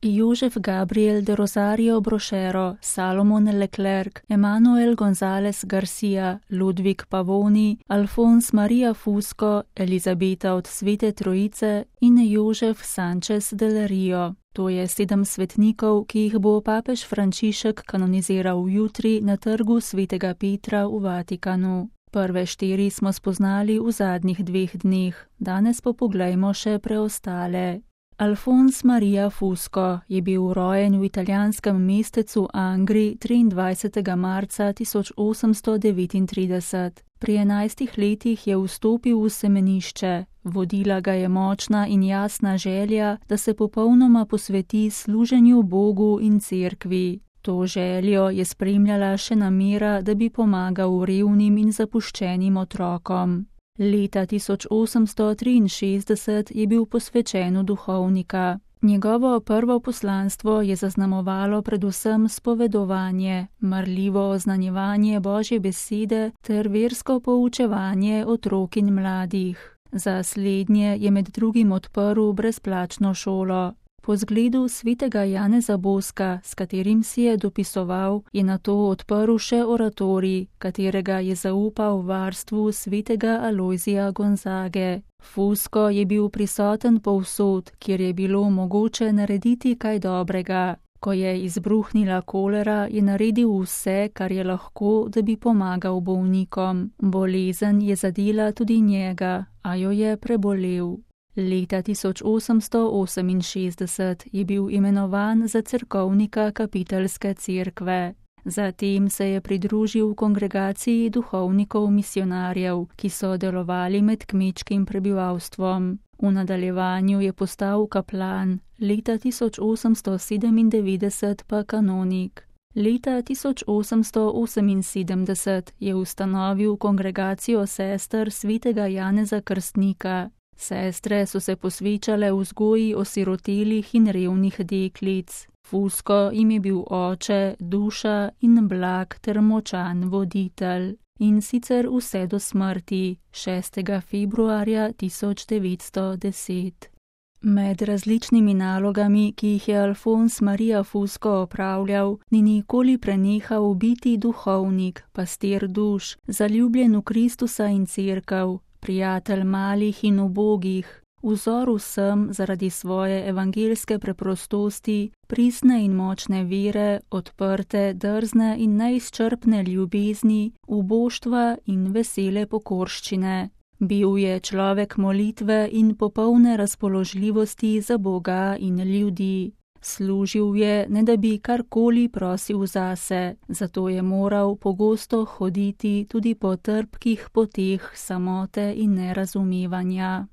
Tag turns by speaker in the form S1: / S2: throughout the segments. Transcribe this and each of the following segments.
S1: Joseph Gabriel de Rosario Brochero, Salomon Leclerc, Emanuel González Garcia, Ludvik Pavoni, Alfons Maria Fusco, Elizabeta od Svete Trojice in Jožef Sanchez del Rio. To je 7 svetnikov, ki jih bo papež Frančišek kanoniziral jutri na trgu Svetega Petra v Vatikanu. Prve 4 smo spoznali v zadnjih 2 dneh, danes pa poglejmo še preostale. Alfons Maria Fusco je bil rojen v italijanskem mestecu Angri 23. marca 1839. Pri 11 letih je vstopil v semenišče. Vodila ga je močna in jasna želja, da se popolnoma posveti služenju Bogu in cerkvi. To željo je spremljala še namera, da bi pomagal revnim in zapuščenim otrokom. Leta 1863 je bil posvečen v duhovnika. Njegovo prvo poslanstvo je zaznamovalo predvsem spovedovanje, marljivo oznanjevanje Božje besede ter versko poučevanje otrok in mladih. Za slednje je med drugim odprl brezplačno šolo. Po zgledu svetega Janeza Boska, s katerim si je dopisoval, je nato odprl še oratorij, katerega je zaupal varstvu svetega Alojzija Gonzage. Fusco je bil prisoten povsod, kjer je bilo mogoče narediti kaj dobrega. Ko je izbruhnila kolera, je naredil vse, kar je lahko, da bi pomagal bolnikom. Bolezen je zadela tudi njega, a jo je prebolel. Leta 1868 je bil imenovan za cerkovnika kapiteljske cerkve. Zatem se je pridružil kongregaciji duhovnikov misionarjev, ki so delovali med kmečkim prebivalstvom. V nadaljevanju je postal kaplan, leta 1897 pa kanonik. Leta 1878 je ustanovil kongregacijo sester svetega Janeza Krstnika. Sestre so se posvečale vzgoji osirotelih in revnih deklic. Fusco jim je bil oče, duša in blag ter močan voditelj. In sicer vse do smrti, 6. februarja 1910. Med različnimi nalogami, ki jih je Alfons Maria Fusco opravljal, ni nikoli prenehal biti duhovnik, pastir duš, zaljubljen v Kristusa in cerkev, prijatelj malih in ubogih, vzor vsem zaradi svoje evangeljske preprostosti, pristne in močne vere, odprte, drzne in neizčrpne ljubezni, uboštva in vesele pokorščine. Bil je človek molitve in popolne razpoložljivosti za Boga in ljudi. Služil je, ne da bi karkoli prosil zase, zato je moral pogosto hoditi tudi po trpkih poteh samote in nerazumevanja.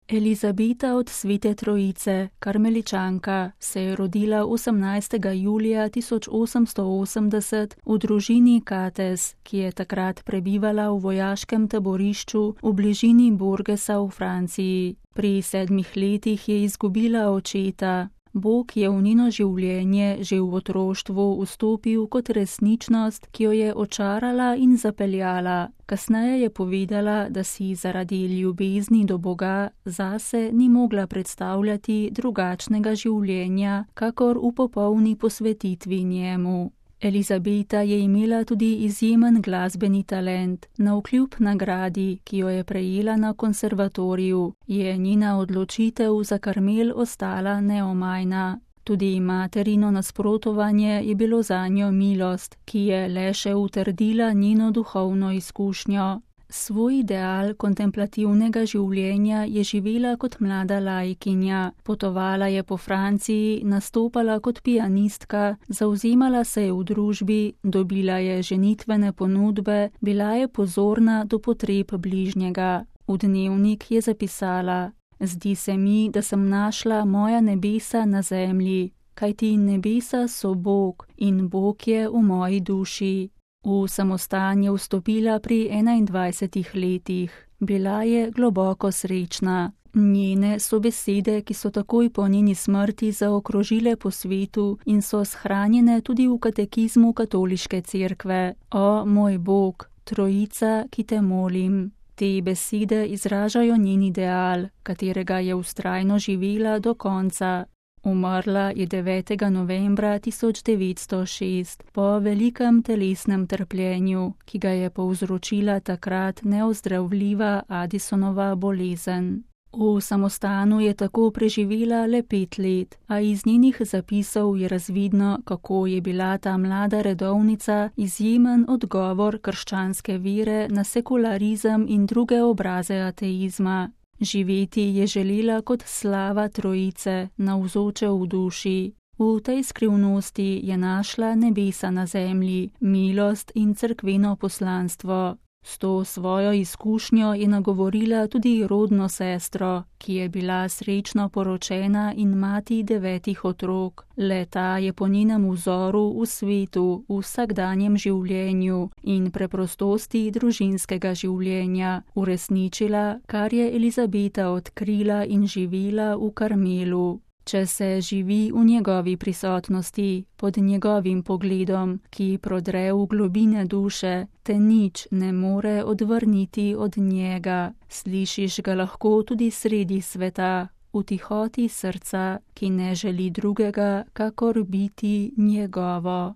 S1: Elizabeta od Svete Trojice, karmeličanka, se je rodila 18. julija 1880 v družini Cates, ki je takrat prebivala v vojaškem taborišču v bližini Bourgesa v Franciji. Pri 7 letih je izgubila očeta. Bog je v njeno življenje že v otroštvu vstopil kot resničnost, ki jo je očarala in zapeljala. Kasneje je povedala, da si zaradi ljubezni do Boga zase ni mogla predstavljati drugačnega življenja, kakor v popolni posvetitvi njemu. Elizabeta je imela tudi izjemen glasbeni talent. Navkljub nagradi, ki jo je prejela na konservatoriju, je njena odločitev za Karmel ostala neomajna. Tudi materino nasprotovanje je bilo zanjo milost, ki je le še utrdila njeno duhovno izkušnjo. Svoj ideal kontemplativnega življenja je živela kot mlada laikinja, potovala je po Franciji, nastopala kot pianistka, zavzemala se je v družbi, dobila je ženitvene ponudbe, bila je pozorna do potreb bližnjega. V dnevnik je zapisala: "Zdi se mi, da sem našla moja nebesa na zemlji, kajti nebesa so Bog in Bog je v moji duši." V samostan je vstopila pri 21 letih. Bila je globoko srečna. Njene so besede, ki so takoj po njeni smrti zaokrožile po svetu in so shranjene tudi v katekizmu katoliške cerkve. O moj Bog, Trojica, ki te molim. Te besede izražajo njen ideal, katerega je vztrajno živela do konca. Umrla je 9. novembra 1906 po velikem telesnem trpljenju, ki ga je povzročila takrat neozdravljiva Addisonova bolezen. V samostanu je tako preživela le 5 let, a iz njenih zapisov je razvidno, kako je bila ta mlada redovnica izjemen odgovor krščanske vere na sekularizem in druge obraze ateizma. Živeti je želela kot slava Trojice, navzoče v duši. V tej skrivnosti je našla nebesa na zemlji, milost in cerkveno poslanstvo. S to svojo izkušnjo je nagovorila tudi rodno sestro, ki je bila srečno poročena in mati 9 otrok. Le-ta je po njenem vzoru v svetu, v vsakdanjem življenju in preprostosti družinskega življenja uresničila, kar je Elizabeta odkrila in živela v Karmelu. Če se živi v njegovi prisotnosti, pod njegovim pogledom, ki prodre v globine duše, te nič ne more odvrniti od njega. Slišiš ga lahko tudi sredi sveta, v tihoti srca, ki ne želi drugega, kakor biti njegovo.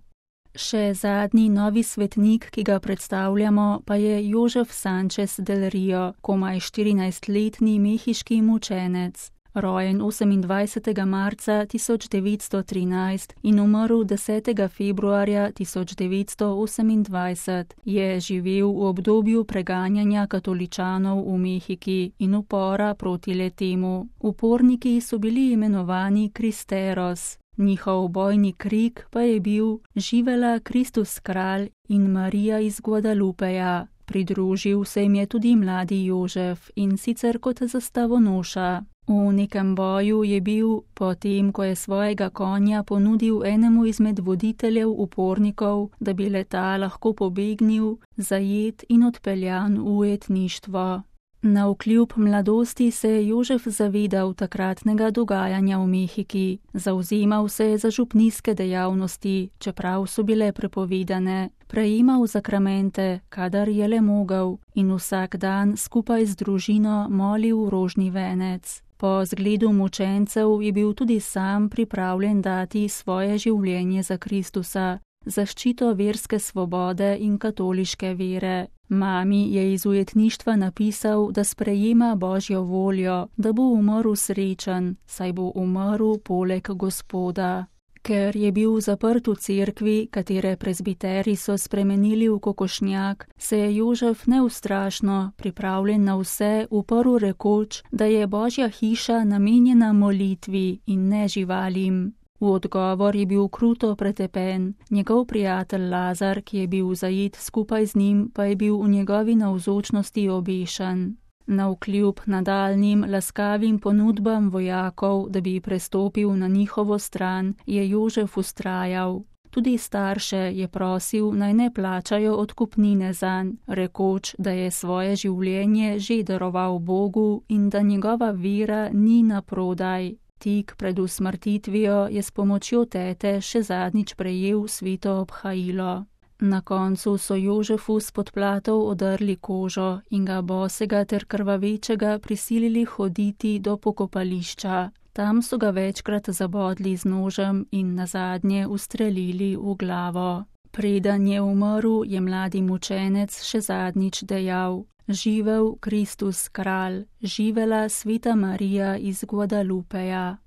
S1: Še zadnji novi svetnik, ki ga predstavljamo, pa je Josef Sanchez del Rio, komaj 14-letni mehiški mučenec. Rojen 28. marca 1913 in umrl 10. februarja 1928, je živel v obdobju preganjanja katoličanov v Mehiki in upora proti le-temu. Uporniki so bili imenovani Kristeros. Njihov bojni krik pa je bil Živela Kristus kralj in Marija iz Guadalupeja. Pridružil se jim je tudi mladi Jožef in sicer kot zastavonoša. V nekem boju je bil, potem ko je svojega konja ponudil enemu izmed voditeljev upornikov, da bi le-ta lahko pobegnil, zajet in odpeljan v ujetništvo. Navkljub mladosti se je Jožef zavedal takratnega dogajanja v Mehiki, zavzemal se je za župnijske dejavnosti, čeprav so bile prepovedane, prejemal zakramente, kadar je le mogel, in vsak dan skupaj z družino molil rožni venec. Po zgledu mučencev je bil tudi sam pripravljen dati svoje življenje za Kristusa, zaščito verske svobode in katoliške vere. Mami je iz ujetništva napisal, da sprejema Božjo voljo, da bo umrl srečen, saj bo umrl poleg Gospoda. Ker je bil zaprt v cerkvi, katere prezbiteri so spremenili v kokošnjak, se je Jožef neustrašno, pripravljen na vse, uprl rekoč, da je Božja hiša namenjena molitvi in ne živalim. V odgovor je bil kruto pretepen, njegov prijatelj Lazar, ki je bil zajet skupaj z njim, pa je bil v njegovi navzočnosti obešen. Navkljub nadaljnjim laskavim ponudbam vojakov, da bi prestopil na njihovo stran, je Jožef vztrajal. Tudi starše je prosil, naj ne plačajo odkupnine zanj, rekoč, da je svoje življenje že daroval Bogu in da njegova vera ni naprodaj. Tik pred usmrtitvijo je s pomočjo tete še zadnjič prejel sveto obhajilo. Na koncu so Jožefu s podplatov odrli kožo in ga bosega ter krvavečega prisilili hoditi do pokopališča. Tam so ga večkrat zabodli z nožem in nazadnje ustrelili v glavo. Preden je umrl, je mladi mučenec še zadnjič dejal: Živel Kristus kralj, živela sveta Marija iz Guadalupeja.